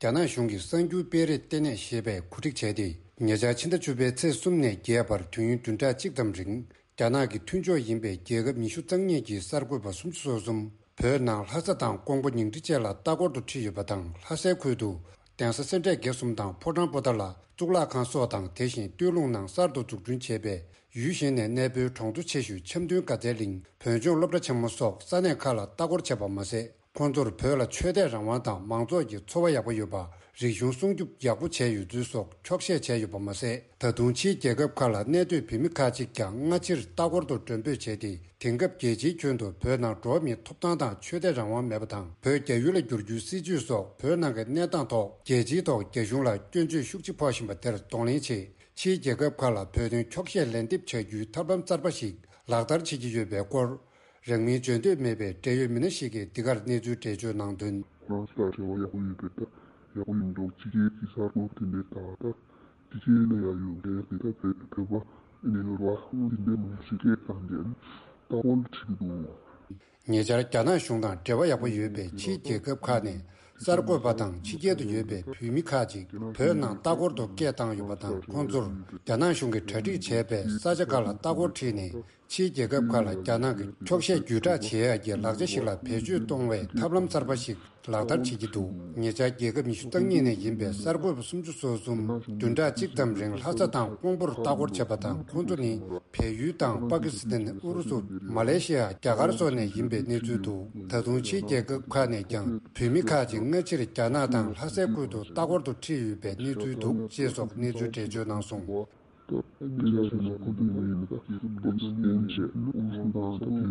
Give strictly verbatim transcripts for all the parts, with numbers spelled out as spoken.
རྒྱ་ནག་གཞུང་གིས་གསར་འགྱུར་སྤེལ་རེས་ལྟེ་གནས་ཞེས་པས་གོ་སྒྲིག་བྱས་ཏེ། ཉེ་ཆར་ཕྱི་ཟླ་བཅུ་པའི་ཚེས་གསུམ་ནས་བརྒྱད་བར་དུས་ཡུན་བདུན་ཕྲག་གཅིག་ཙམ་རིང་། རྒྱ་ནག་གི་མཐུན་ཕྱོགས་ཡིན་པའི་རྒྱལ་ཁབ་ཉི་ཤུ་རྩ་གཉིས་ཀྱི་གསར་འགོད་པ་སུམ་ཅུ་སོ་གསུམ། བོད་ནང་ལྷ་ས་དང་ཀོང་པོ་ཉིང་ཁྲི་བཅས་ལ་ལྟ་སྐོར་དུ་ཁྲིད་ཡོད་པ་དང་། ལྷ་སའི་ཁུལ་དུ་གདན་ས་སེ་འབྲས་དགེ་གསུམ་དང་ཕོ་བྲང་པོ་ཏཱ་ལ། གཙུག་ལག་ཁང་སོགས་དང་། དེ་བཞིན་སྟོད་ལུང་ནང་གསར་དུ་འཛུགས་སྐྲུན་བྱས་པའི་ཡུལ་གཞན་ནས་གནས་སྤོའི་གྲོང་ཚོ་ཆེ་ཤོས་འཆམ་མཐུན་དགའ་ཚལ་གླིང་། བོད་ལྗོངས་སློབ་གྲྭ་ཆེན་མོ་སོགས་ས་གནས་ཁག་ལ་ལྟ་སྐོར་བྱས་པ་མ་ཟད། ཁོང་ཚོར་བོད་ལ་ཆོས་དད་རང་དབང་དང་མང་ཚོགས་ཀྱི་འཚོ་བ་ཡག་པོ་ཡོད་པ། རིག་གཞུང་སྲུང་སྐྱོབ་ཡག་པོ་བྱས་ཡོད་ཚུལ་སོགས་འཁྱོག་བཤད་བྱས་ཡོད་པ་མ་ཟད། ད་དུང་ཕྱིའི་རྒྱལ་ཁབ་ཁག་ལ་གནས་སྡོད་བོད་མི་ཁག་ཅིག་ཀྱང་སྔ་ཕྱིར་ལྟ་སྐོར་དུ་མགྲོན་འབོད་བྱས་ཏེ། དེང་སྐབས་རྒྱལ་སྤྱིའི་ཁྱོན་དུ་བོད་ནང་འགྲོ་བ་མིའི་ཐོབ་ཐང་དང་ཆོས་དད་རང་དབང་མེད་པ་དང་། བོད་རྒྱ་ཡུལ་ལ་བསྒྱུར་རྒྱུའི་སྲིད་བྱུས་སོགས་བོད་ནང་གི་གནས་སྟངས་ཐོག་རྒྱལ་སྤྱིའི་ཐོག་རྒྱ་གཞུང་ལ་སྐྱོན་བརྗོད་ཤུགས་ཆེ་ཕོག་བཞིན་པ་དེར་གདོང་ལེན་ཆེད། ཕྱིའི་རྒྱལ་ཁབ་ཁག་ལ་བོད་དོན་འཁྱོག་བཤད་ལན་འདེབས་བྱ་རྒྱུའི་ཐབས་ལམ་གསར་པ་ཞིག་ལག་བསྟར་བྱེད་ཀྱི་ཡོད་པའི་སྐོར། རང་མིང་བརྗོད་འདོད་མེད་པའི་འབྲེལ་ཡོད་མི་སྣ་ཞིག་གིས་འདི་གར་གནས་ཚུལ་འགྲེལ་བརྗོད་གནང་དོན། ཁོ་རང་ཚོ་དང་འབྲེལ་བ་ཡག་པོ་ཡོད་པའི་སྟབས་ཡག་པོ་ཡིན་འགྲོ། ཕྱི་རྒྱལ་གྱི་གསར་འགོད་དེ་འདྲའི་དག་ད་ཕྱི་རྒྱལ་ལ་ཡང་ཡོད་མཁན་དེ་ད་བོད་བོད་པ་ཨ་ནི་རོགས་དེ་འདྲའི་མང་པོ་ཞིག་སྐད་བཏང་བསྡད་ནས་ལྟ་སྐོར་བྱེད་ཀྱི་འདུག་ཉེ་ཆར་རྒྱ་ནག་གཞུང་དང་འབྲེལ་བ་ཡག་པོ་ཡོད་པའི་ཕྱིའི་རྒྱལ་ཁབ་ཁག་ནས་གསར་འགོད་པ་དང་ཕྱི་རྒྱལ་དུ་ཡོད་པའི་བོད་མི་ཁག་ཅིག་བོད་ནང་ལྟ་སྐོར་དུ་སྐད་བཏང་ཡོད་པ་དང་། ཁོང་ཚོར་རྒྱ་ནག་གཞུང་གིས་གྲ་སྒྲིག་བྱས་པའི་ས་ཆ་ཁག་ལ་ལྟ་སྐོར་ཁྲིད་ནས། ཕྱིའི་རྒྱལ་ཁབ་ཁག་ལ་རྒྱ་ནག་གི་འཁྱོག་བཤད་བརྒྱུད་བསྒྲགས་བྱེད་ཡག་གི་ལག་ཆ་ཞིག་ལ་བེད་སྤྱོད་གཏོང་བའི་ཐབས་ལམ་གསར་པ་ཞིག་ལག་བསྟར་བྱེད་ཀྱི་འདུག་ཉེ་ཆར་རྒྱལ་ཁབ་ཉི་ཤུ་རྩ་གཉིས་ནས་ཡིན་པའི་གསར་འགོད་པ་སུམ་ཅུ་སོ་གསུམ་བདུན་ཕྲག་གཅིག་ཙམ་རིང་ལྷ་ས་དང་ཀོང་པོར་ལྟ་སྐོར་བྱས་པ་དང་། ཁོང་ཚོ་ནི་བལ་ཡུལ་དང་པ་ཀི་སི་ཐན། ཨུ་རུ་སུ། མ་ལེ་ཤི་ཡ། རྒྱ་གར་སོགས་ནས་ཡིན་པའི་གནས་ཚུལ་འདུག་ད་དུང་ཕྱིའི་རྒྱལ་ཁབ་ཁག་ནས་ཀྱང་བོད་མི་ཁག་ཅིག་སྔ་ཕྱིར་རྒྱ་ནག་དང་ལྷ་སའི་ཁུལ་དུ་ལྟ་སྐོར་དུ་ཁྲིད་ཡོད་པའི་གནས་ཚུལ་འདུག་ཅེས་སོགས་གནས་ཚུལ་འགྲེལ་བརྗོད་གནང་སོང་། སྐབས་དེ་ལ་བྱས་ན་ཁོ་ཚོ་ཡིན་ན་ད་པ་ཀི་སི་ཐན་བྱས། ཨུ་རུ་སུ་དང་ད་བལ་ཡུལ་བྱས། ལྕགས་རི་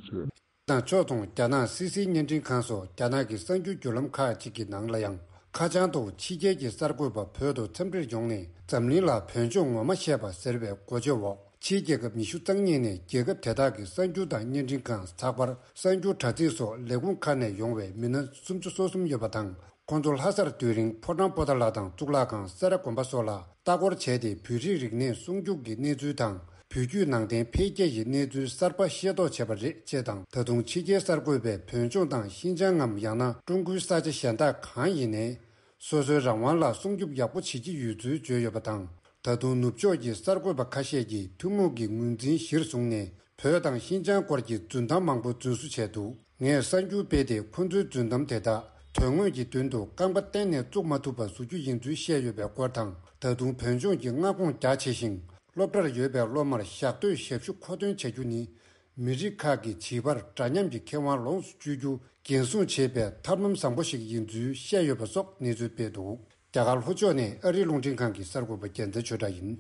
བྱས། དང་ཕྱོགས་མཚུངས་རྒྱ་ནག་སི་སི་བརྙན་འཕྲིན་ཁང་སོགས་རྒྱ་ནག་གི་གསར་འགྱུར་བརྒྱུད་ལམ་ཁག་ཅིག་གི་ནང་ལ་ཡང་ཁ་བྱང་དུ་ཕྱི་རྒྱལ་གྱི་གསར་འགོད་པ་བོད་དུ་འཚམས་འདྲིར་ཡོང་ནས་འཛམ་གླིང་ལ་བོད་ལྗོངས་ངོ་མ་བཤད་པ་ཟེར་བའི་འགོ་བརྗོད་འོག་ཕྱིའི་རྒྱལ་ཁབ་ཉི་ཤུ་རྩ་གཉིས་ནས་རྒྱལ་ཁབ་དེ་དག་གི་གསར་འགྱུར་དང་བརྙན་འཕྲིན་ཁང་། ཚགས་པར། གསར་འགྱུར་དྲ་ཚིགས་སོགས་ལས་ཁུངས་ཁག་ནས་ཡོང་བའི་མི་སྣ་སུམ་ཅུ་སོ་གསུམ་ཡོད་པ་དང་། ཁོང་ཚོ་ལྷ་སར་སྡོད་རིང་ཕོ་བྲང་པོ་ཏཱ་ལ་དང་གཙུག་ལག་ཁང་། སེ་ར་དགོན་པ་སོགས་ལ་ལྟ་སྐོར་བྱས་ཏེ། བོད་རིགས་རིག་གནས་སྲུང་སྐྱོབ་ཀྱི་གནས་ཚུལ་དང་། བོད་བརྒྱུད་ནང་བསྟན་འཕེལ་རྒྱས་ཀྱི་གནས་ཚུལ་གསར་པ་ཤེས་རྟོགས་བྱས་པ་རེད་ཅེས་དང་། ད་དུང་ཕྱི་རྒྱལ་གསར་འགོད་པས་བོད་ལྗོངས་དང་ཤིན་ཅང་ངམ། ཡང་ན་ཀྲུང་གོའི་ས་ཆ་གཞན་དག་གང་ཡིན་ནའི་སོ་སོའི་རང་དབང་ལ་སྲུང་སྐྱོབ་ཡག་པོ་བྱེད་ཀྱི་ཡོད་ཚུལ་བརྗོད་ཡོད་པ་དང་། ད་དུང་ནུབ་ཕྱོགས་ཀྱི་གསར་འགོད་པ་ཁ་ཤས་ཀྱིས་ཐུན་མོང་གི་ངོས་འཛིན་གཞིར་བཟུང་ནས། བོད་དང་ཤིན་ཅང་སྐོར་གྱི་རྫུན་གཏམ་མང་པོ་རྫུན་བཟོ་བྱས་འདུག་ངས་གསར་འགྱུར་སྤེལ་ཏེ། ཁོ་ཚོའི་རྫུན་གཏམ་དེ་དག་དོན་དངོས་ཀྱི་མདུན་དུ་རྐང་པ་གཏན་ནས་བཙུགས་མ་ཐུབ་པ་བཟོ་རྒྱུ་ཡིན་ཚུལ་བཤད་ཡོད་པའི་སྐོར་དང་། ད་དུང་བོད་ལྗོངས་ཀྱི་མངའ་ཁོངས་རྒྱ་ཆེ་ཞིང་སློབ་གྲྭར་ཡོད་པའི་སློབ་མར་ཞག་སྡོད་ཞབས་ཞུ་མཁོ་འདོན་བྱ་རྒྱུ་ནི། མི་རིགས་ཁག་གི་བྱིས་པར་འདྲ་མཉམ་གྱི་ཁེ་དབང་ལོངས་སུ་སྤྱོད་རྒྱུ་འགན་སྲུང་བྱེད་པའི་ཐབས་ལམ་བཟང་པོ་ཞིག་ཡིན་ཚུལ་བཤད་ཡོད་པ་སོགས་གནས་ཚུལ་སྤེལ་འདུག་རྒྱ་གར་ལྷོ་ཕྱོགས་ནས་ཨ་རིའི་རླུང་འཕྲིན་ཁང་གི་གསར་འགོད་པ་རྒྱལ་མཚན་ཆོས་གྲགས་ཡིན།